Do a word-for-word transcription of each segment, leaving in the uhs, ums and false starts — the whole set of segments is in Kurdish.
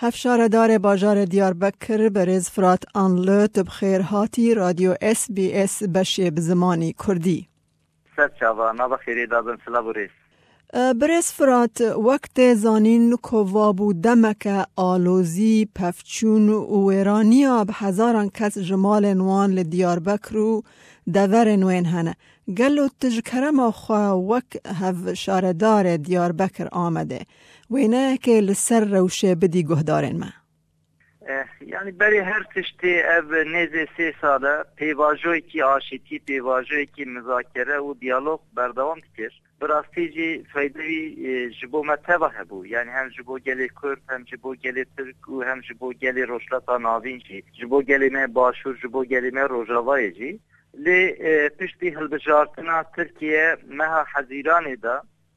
Hevşaredarê bajarê Diyarbekir, berêz Firat Anlı, tu bi xêr hatî Radyo S B S beşê bi zimanî Kurdî. Ser çava, nava xêrê dabin, silav û rêz. E, Birêz Firat, wek tê zanîn, kovabû demeke alozî, pevçûn û wêraniya bi hezaran kes ji malên wan li Diyarbekir û deverên wên hene. Gelo tu ji kerema xwe wek hevşaredarê Diyarbekir Amedê wêneyekê li ser rewşê bidî guhdarên me? Eh, yani berê her tiştê ev nêzê sê sal e pêvajoyekî aşîtî, pêvajoyekî muzakere û diyalog berdewam dikir. Bi rastî jî feyde wî, e, ji bo me teva hebû. Yani hem ji bo gelê Kurd, hem ji bo gelê Tirk û hem ji bo gelê Rojhilata Navîn jî. Ji bo gelê me Başûr, ji bo gelê me Rojavayê jî. Lê, e, piştî hilbijartina Tirkiye meha Hezîranê de,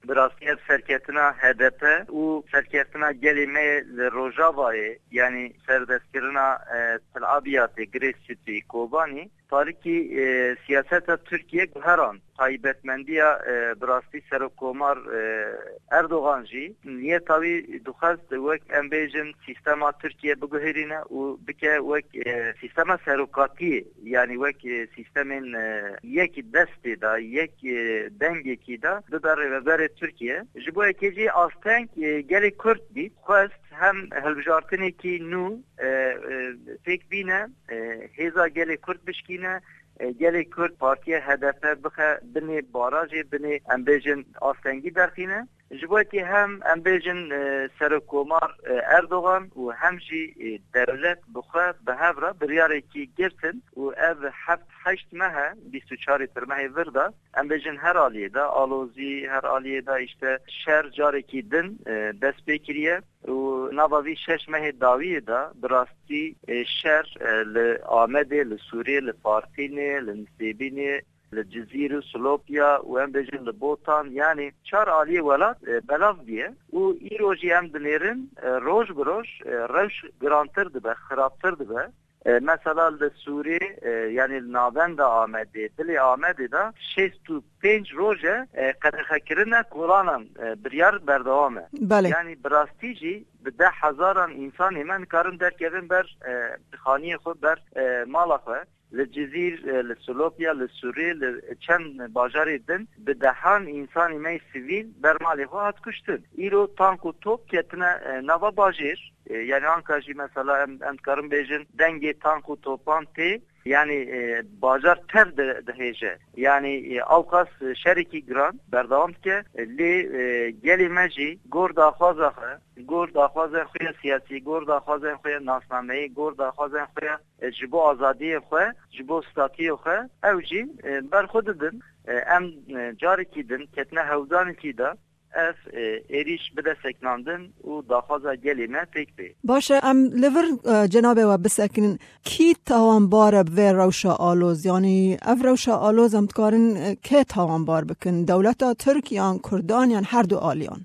bi rastî ev serketina H D P û serketina gelê me li Rojavayê, yanî serdestkirina, e, Til Abiyatê, Grace City, Kobanî, tarîkî, e, siyaseta Tirkiye guherand. Taybetmendiya, e, bi rastî Serokkomar, e, Erdogan jî niyeta wî dixwest wek, em bêjin, sîstema Tirkiye biguherîne û bike wek, e, sîstema serokatiyê, yanî wek, e, sîstemên, e, yek destê de, yek, e, dengekî de bibe rêveberê Tirkiye. Ji bo yekê jî asteng, e, gelê Kurd dît, xwest hem hilbijartinekî nû, e, e, pêk bîne, e, hêza gelê Kurd bişkîne, e, gelê Kurd partiya H D P bixe binê barajê, binê, em bêjin, astengî derxîne. Ji bo yekê hem, em bêjin, e, Serokkomar, e, Erdogan û hem jî, e, dewlet bi xwe bi hev re biryarekî girtin û ev heft heşt meh e, bîst û çarê Tirmehê vir de, em bêjin, her aliyê de alozî, her aliyê de, îşte, şer carekî din, e, dest pê kiriye û nava vî şeş mehê dawiyê de bi rastî, e, şer, e, li Amedê, li Sûrê, li Farqînê, li Nisêbînê, li Cizîr û Silopya û, em bêjin, li Botan, yanî çar aliyê welat, e, belav bûye û îro jî em dinêrin, e, roj bi roj, e, rewş girantir dibe, xirabtir dibe. E, mesela li Sûrê, e, yanî li navenda Amedê, dilê Amedê de şêst û pênc roj e, e, qedexekirina kolanan, e, biryar berdewam e. Belê. Yanî bi rastî jî bi deh hezaran însanê me nikarin derkevin ber, e, xaniyê xwe, ber, e, mala xwe. Li Cizîr, e, li Silopya, li Sûrê, li çend bajarê din bi dehan însanê me yê sivîl ber malê xwe hat kuştin. Îro tank û top ketine, e, nava bajêr. E, yani anka jî mesela em, em dikarin bêjin dengê tank û topan tê, yani, e, bajar tev di-, dihêje. Yani, e, ewqas şerekî giran berdewam dike. E, lê, e, gelê me jî gor daxwaza xwe, gor daxwazên xwe ya siyasî, gor daxwazên xwe ya nasnameyî, gor daxwazên xwe ya, e, ji bo azadiyê xwe, ji bo statiyê xwe, ew jî, e, ber xwe didin. E, em, e, carekî din ketine hewldanekî de, ev, e, êrîş bide sekinandin û daxwaza gelê me pêk bê. Baş e, em li vir, e, cenabê we bisekinin. Kî tawanbar e bi vê rewşa aloz? Yanî ev rewşa aloz em dikarin, e, kê tawanbar bikin? Dewleta Tirk yan Kurdan yan her du aliyan?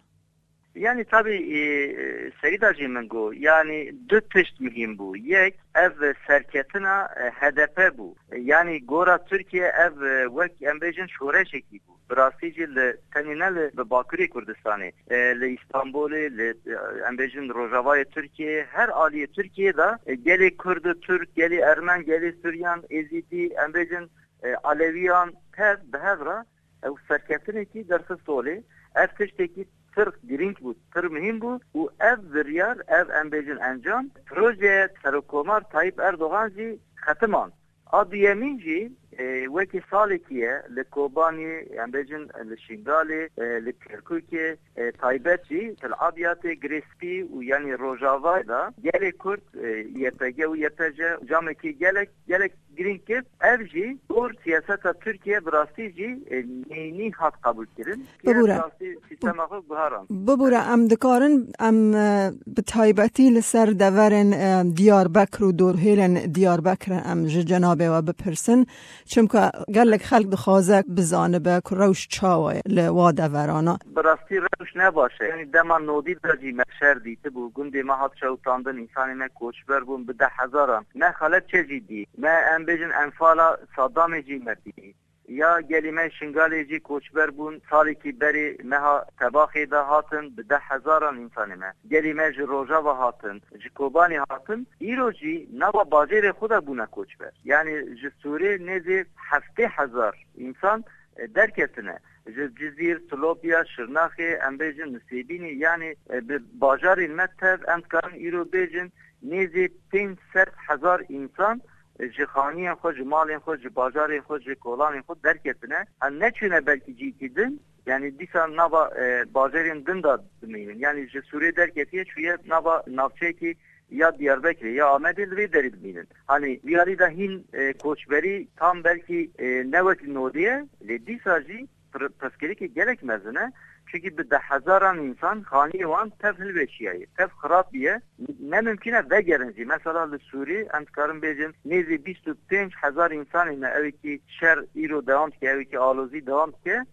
Yani tabii, e, e, serî de jî min got, yani du tişt muhîm bû. Yek, ev serketina, e, H D P bû. Yani gora Tirkiye ev, e, wek em bêjin şoreşekî bû. Bi rastî jî li tenê ne li, bi Bakurê Kurdistanê, e, li Îstanbulê, li, e, em bêjin Rojavayê Tirkiyeyê, her aliyê Tirkiyeyê de, e, gelê Kurd û Tirk, gelê Ermen, gelê Suryan, Êzîdî, em bêjin, e, Alewiyan tev bi hev re ew serketinekî derxist holê. Ev tiştekî pir girîng bû, pir muhîm bû û ev biryar, ev em bêjin encam, projeya Serokkomar Tayyip Erdogan jî xetimand. A duyemîn jî, e, wekî salekî ye li Kobanî, em bêjin li Şingalê, e, li Kerkûkê, e, taybet jî Til Abyadê, Girê Spî û yanî Rojavayê de gelê Kurd, e, Y P G û Y P J camekî gelek, gelek girîng kir. Ev jî gor siyaseta Tirkiye bi rastî jî, e, neyînî hat qebûl kirin. Tirkiye Bibûre. Bi rastî sîstema xwe guheran. Bibûre, em dikarin, em, e, bi taybetî li ser deverên, e, Diyarbekir û dorhêlên Diyarbekir em ji cenabê we bipirsin. Çimka gelek xelk dixwaze bizanibe ku rewş çawa ye li wa deverana. Bi rastî rewş ne baş e. Yanî dema nodî de jî me şer dîtibû. Gundê me hat şewitandin, însanê me koçber bûn bi deh hezaran. Me Xelebçe jî dî. Me, em bêjin, enfala Saddamê jî me dî. Ya gelî me Şingalê jî koçber bûn, salekî berê meha Tebaxê de hatin, bi deh hezaran însanê me. Gelî me ji Rojava hatin, ji Kobanê hatin, îro jî nava bajêrê xwe de bûne koçber. Yanî ji Sûrê nêzî heftê hezar însan, e, derketine. Ji Cizîr, Silopya, Şirnaxê, em bêjin Nisêbînê, yanî, e, bi bajarên me tev, em dikarin îro bêjin nêzî pênc sed hezar însan, e, ji xaniyên xwe, ji malên xwe, ji bajarên xwe, ji kolanên xwe derketine. Em neçûne belkî cîkî din, yanî dîsa nava, e, bajarên din de dimînin. Yanî ji Sûrê derketiye, çûye nava navçeyekî ya Diyarbekirê ya Amedê li vê derê dimînin. Hanî vî alî de hîn, e, koçberî tam belkî, e, ne wek nodê ye, lê dîsa jî pir-, pirsgirêkê gelek mezin e. Çunkî bi deh hezaran însan xaniyê wan tev hilweşiyaye, tev xirab biye. Ne mimkun e vegerin jî. Mesela li Sûrî em dikarin bêjin nêzî bîst û pênc hezar însanê me, ewekî şer îro dewam dike, ewekî alozî dewam dike.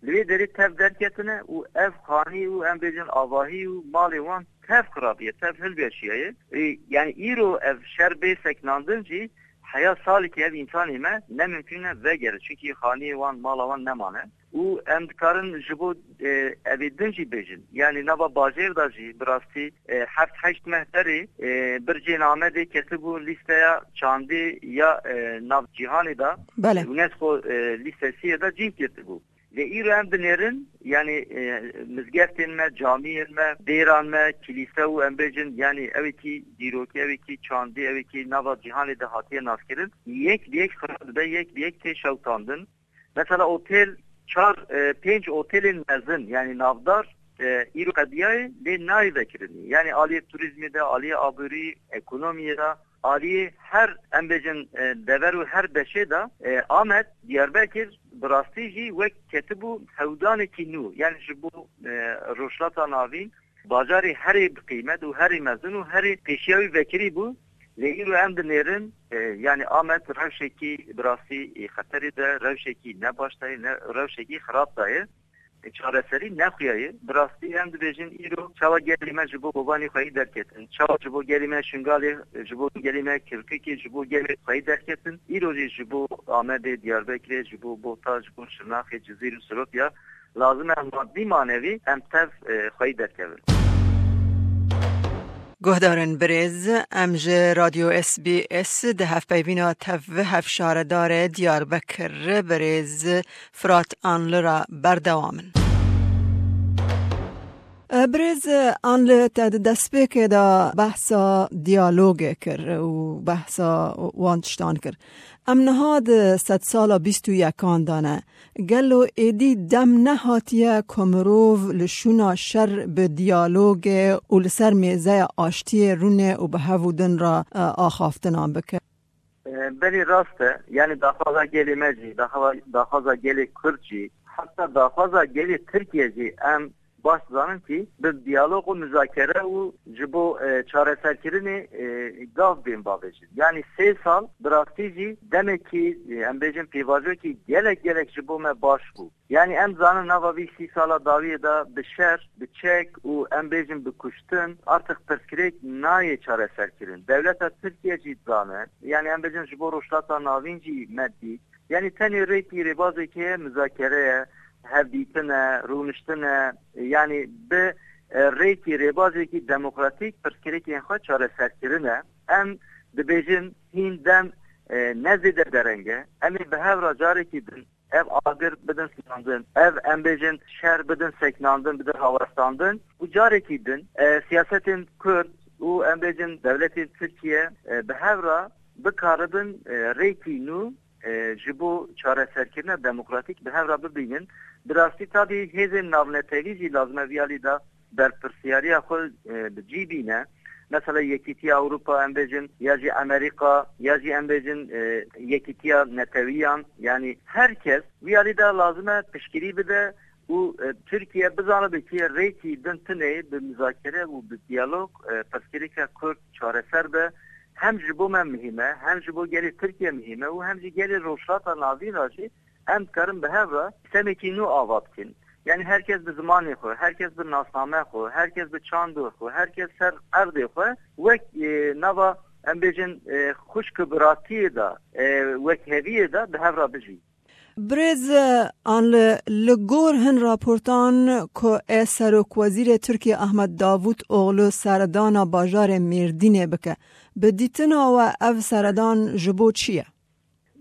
Li wê derê tev derketine û ev xanî û em bêjin avahî û malê wan tev xirabiye, tev hilweşiyaye. Ê, yanî îro ev şer bê seknandin jî heya salekî ev însanê me ne mimkun e vegere, çunkî xaniyê wan, mala wan nemane. Û em dikarin ji bo, e, evê din jî bêjin. Yanî nava bajêr de jî bi rastî, e, heft heşt meh berê, e, bircên Amedê ketibû lîsteya çandê ya, e, nav cîhanê de. Belê. UNESCO, e, lîstesiyê de cîn ketibû. Lê îro em dinêrin, yanî, e, mizgeftên me, camiyên me, dêran me, kilîse û em bêjin, yanî ewekî dîrokî, ewekî çandî, ewekî nava cîhanê de hatiye naskirin, yek bi yek xirab dibe, yek bi yek tê şewitandin. Mesela otel, çar, e, pênc otelên mezin, yanî navdar, e, îro qediyayê, lê nayê vekirinî. Yanî aliyê turîzmê de, aliyê aborî, ekonomiyê de, aliyê her, em bêjin, e, dever û her beşê de, e, Amed, Diyarbekir, bi rastî jî wek ketibû hewdanekî nû. Yanî ji bo, e, Rojhilata Navîn, bajarê herê bi qîmet û herê mezin û herê pêşiya wî vekirî bû. Lê îro em dinêrin, e, yanî Amed rewşekî bi rastî, e, xeterê de, rewşekî ne baş de ye, ne rewşekî xirab de ye. E, çareserî nexuya ye. Bi rastî em dibêjin îro çawa gelê me ji bo Kobanê xweyî derketin, çawa ji bo gelê me Şingalê, ji bo gelê me Kirkukê, ji bo gelê xweyî derketin, îro jî ji bo Amedê, Diyarbekirê, ji bo Bota, ji bo Şirnaxê, Cizîr û Silopya lazim e madî manevî em tev, e, xweyî derkevin. Guhdarên birêz, em ji Radyo S B S di hevpeyvîna tev hevşaredarê Diyarbekir birêz Fırat Anlı re berdewam in. Birêz Anlı, te di destpêkê de behsa diyalogê kir û behsa wan tiştan kir. Em niha di sedsala bîst û yekan de ne. Gelo êdî dem nehatiye ku mirov li şûna şer bi diyalogê û li ser mêzeya aştiyê rûnê û bi hev û din re, e, axaftinan bike? E, belê rast e. Yanî daxwaza gelê me jî, daxwa-, daxwaza gelê Kurd jî, heta daxwaza gelê Tirkiye jî em baş dizanin kî bi diyalog û muzakere û ji bo, e, çareserkirinê, e, gav bên bavêjin. Yanî sê sal bi rastî jî demekî, e, em bêjin pêvajoyekî gelek gelek ji bo me baş bû. Yanî em zanin nava vî sî sala dawiyê de bi şer, bi çek û em bêjin bi kuştin artık pirsgirêk nayê çareserkirin. Dewleta Tirkiye jî dizane. Yanî em bêjin ji bo Rojhilata Navîn jî me dît. Yanî tenê rêkî rêbazekê ye, muzakere ye, hevdîtin e, rûniştin e. Yanî bi, e, rêkî rêbazekî demokratîk pirsgirêkên xwe çareserkirin e. Em dibêjin hîn dem, e, ne zêde dereng e. Em ê bi hev re carekî din ev agir bidin seknandin, ev em bêjin şer bidin seknandin, bidin rawestandin û carekî din, e, siyasetên Kurd û em bêjin dewletên Tirkiye, e, bi hev re bikaribin, e, rêkî nû, e, ji bo çareserkirina demokratîk bi hev re bibînin. Bi rastî tabî hêzên navnetewî jî lazim e vî alî de berpirsiyariya xwe, e, bi cî bîne. Mesela Yekîtiya Ewropa em bêjin, ya jî Amerîka, ya jî em bêjin, e, Yekîtiya Netewiyan, yanî her kes vî alî de lazim e piştgirî bide û, e, Tirkiye bizanibe ki rêkî din tune bi muzakere û bi diyalog, e, pirsgirêka Kurd çareser be. Hem ji bo me muhîm e, hem ji bo gelê Tirkiye muhîm e û hem jî gelê Rojhilata Navîn re jî em dikarin bi hev re sîstemekî nû ava bikin. Yanî her kes bi zimanê xwe, her kes bi nasname xwe, her kes bi çando xwe, her kes ser erdê xwe wek, e, nava, em bêjin, e, xwişk û biratiyê de, e, wekheviyê de bi hev re bijî. Birêz Anli, li gor hin raportan ku ê Serokwezîrê Tirkiyê Ahmet Davutoglu serdana bajarê Mêrdînê bike, bi dîtina we ev seredan ji bo çi ye?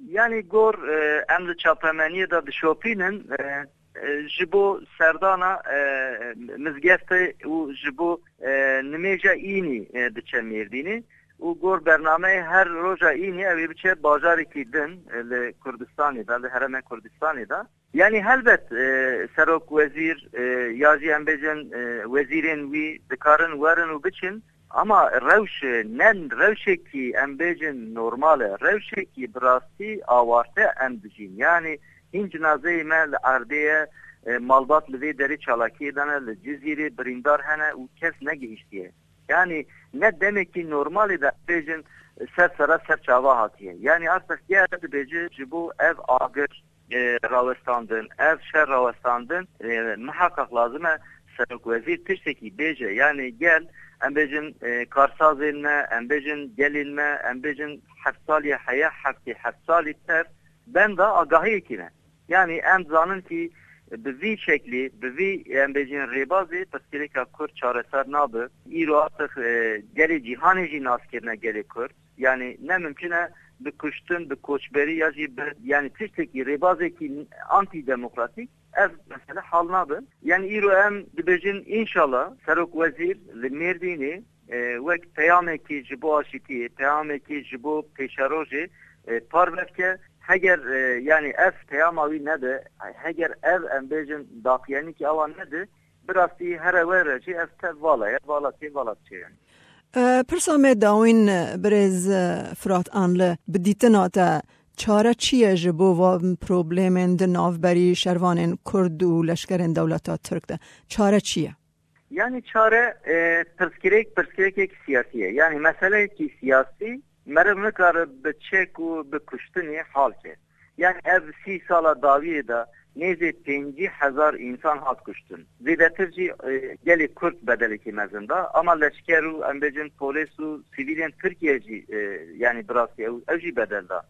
Yanî gor, e, em li çapemeniyê de dişopînin, e, e, ji bo serdana, e, mizgeftê û ji bo, e, nimêja înî, e, diçe Mêrdînê û gor bernameyê her roja înî ew ê biçe bajarekî din, e, li Kurdistanê de, li herêmê Kurdistanê de. Yanî helbet, e, serok wezîr, e, ya jî em bêjin, e, wezîrên wî dikarin werin û biçin, ama rewş, e, ne rewşekî em bêjin normal e, rewşekî bi rastî awarte em dijîn. Yanî hîn cinazeyê me li erdê ye, e, malbat li vê derê çalakiyê de ne, li Cizîrê birîndar hene û kes negihiştiye. Yanî ne demekî normalê de bêjin ser sera ser çava hatiye. Yanî artık ger dibêje ji bo ev agir, e, rawestandin, ev şer rawestandin, e, miheqeq lazim e serokwezîr tiştekî bêje. Yanî gel, em bêjin, e, karsazên me, em bêjin gelên me, em bêjin heft salî heye, heftê heft salî tev benda agahiyekî ne. Yanî em zanin kî bi vî şeklî, bi vî, em bêjin rêbazê pirsgirêka Kurd çareser nabe. Îro artık, e, gelê cîhanê jî nas kirine gelê Kurd. Yanî ne mimkun e bi kuştin, bi koçberî ya jî bi, yanî tiştekî rêbazekî antîdemokratîk ev mesele hal nabe. Yanî îro em dibêjin înşallah serok wezîr li Mêrdînê, e, wek peyamekî ji bo aşitiyê, peyamekî ji bo pêşerojê, e, parve bike. Heger, e, yanî ev peyama wî nebe, heger ev em bêjin daqiyenîkî awa nedi, bi rastî here we re jî ev tev vala ye, vala tê, vala diçe yanî. E, pirsa me dawîn, e, birêz, e, Firat Anli, bi dîtina te çare çi ye ji bo van problemên di navberî şervanên Kurd û leşkerên dewleta Tirk de? Çare çi ye? Yanî çare, e, pirsgirêk, pirsgirêkek siyasî ye. Yanî meseleyekî siyasî meriv nikare bi çek û bi kuştinê hal ke. Yanî ev sî sala dawiyê de nêzê pêncî hezar însan hat kuştin. Zêdetir jî, e, gelê Kurd bedelekî mezin da. Ama leşker û em bêjin polês û sivîlên Tirkiye jî, e, yanî bi rastî ew, ew jî bedel da.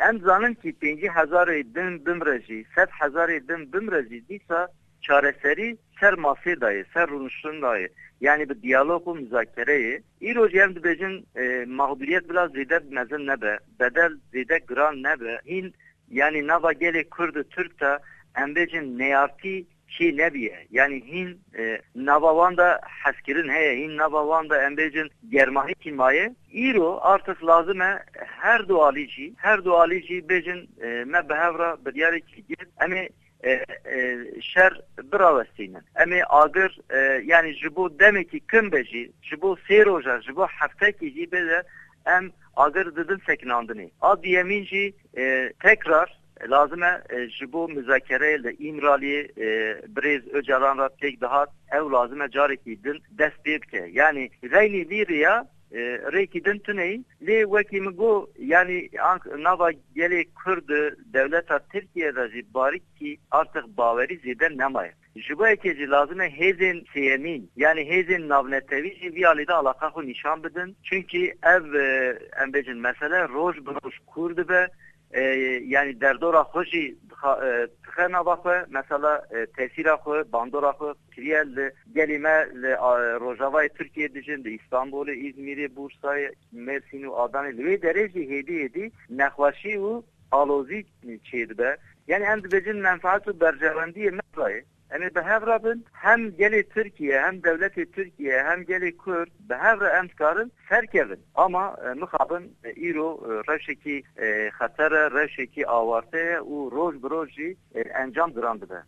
Em zanin kî pêncî hezarê din bimre jî, sed hezarê din bimre jî dîsa çareserî ser masê dayê, ser rûniştin dayê. Yanî bi diyalog û muzakereyê. Îro jî em dibêjin, e, mexdûriyet bila zêde mezin nebe, bedel zêde giran nebe. Hîn, yanî nava gelê Kurd û Tirk de em bêjin neyartî çê nebiye. Yanî hîn, e, nava wan de hezkirin heye, hîn nava wan de em bêjin germahîkî maye. Îro artık lazim e her du alî jî, her du alî jî bêjin, e, me bi hev re biryarêkî girt, em ê, e, e, şer birawestînin. Em ê agir, e, yanî ji bo demekî kin be jî, ji bo sê roja, ji bo heftekî jî bê de em agir didin sekinandinê. A duyemîn jî, e, tekrar lazim e, e, ji bo muzakereyê li Îmraliyê, e, birêz Ocalan re pêk dihat, ew lazim e carekî din dest pê bike. Yanî veynî vî riya, e, rêkî din tune ye. Lê wekî min got, yanî ank nava gelê Kurd û dewleta Tirkiye de jî barikî artık bawerî zêde nemaye. Ji bo yekê jî lazim e hêzên sêyemîn, yanî hêzên navnetewî jî vî alî de alaqa xwe nîşan bidin. Çunkî ev, e, em bêjin mesele roj bi roj kûr dibe. E, yanî derdora xwe jî dixa-, e, dixe nava xwe. Mesela, e, tesîra xwe, bandora xwe kiriye li gelê me li, a, rojavayê Tirkiyê dijin, li Îstanbulê, Îzmîrê, Bursayê, Mêrsîn û Adanê. Li wê derê jî hêdî hêdî nexweşî û alozî çêdibe. Yanî em dibêjin menfaet û berjewendiyê me dayê. Em ê bi hev re bin, hem gelê Tirkiye, hem dewletê Tirkiye, hem gelê Kurd bi hev re em dikarin serkevin. Ama, e, mixabin, e, îro, e, rewşekî, e, xeter e, rewşekî awarte ye û roj bi roj jî, e, encam giran dibe.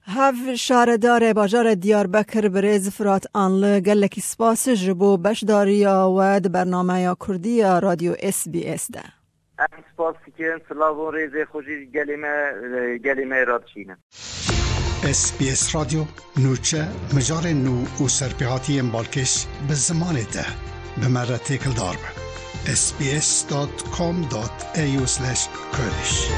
Hev şaredarê bajarê Diyarbekir birêz Firat Anli, gelekî spas ji bo beşdariya we di bernameya Kurdî ya Radyo S B S de. Em spas dikin, silav û rêzê xwe jî gelê me, gelê me re dişînin. S B S Radyo, nûçe, mijarên nû û serpêhatiyên balkêş bi zimanê te. Bi me re têkildar be. S B S dot com dot A U slash Kurdish.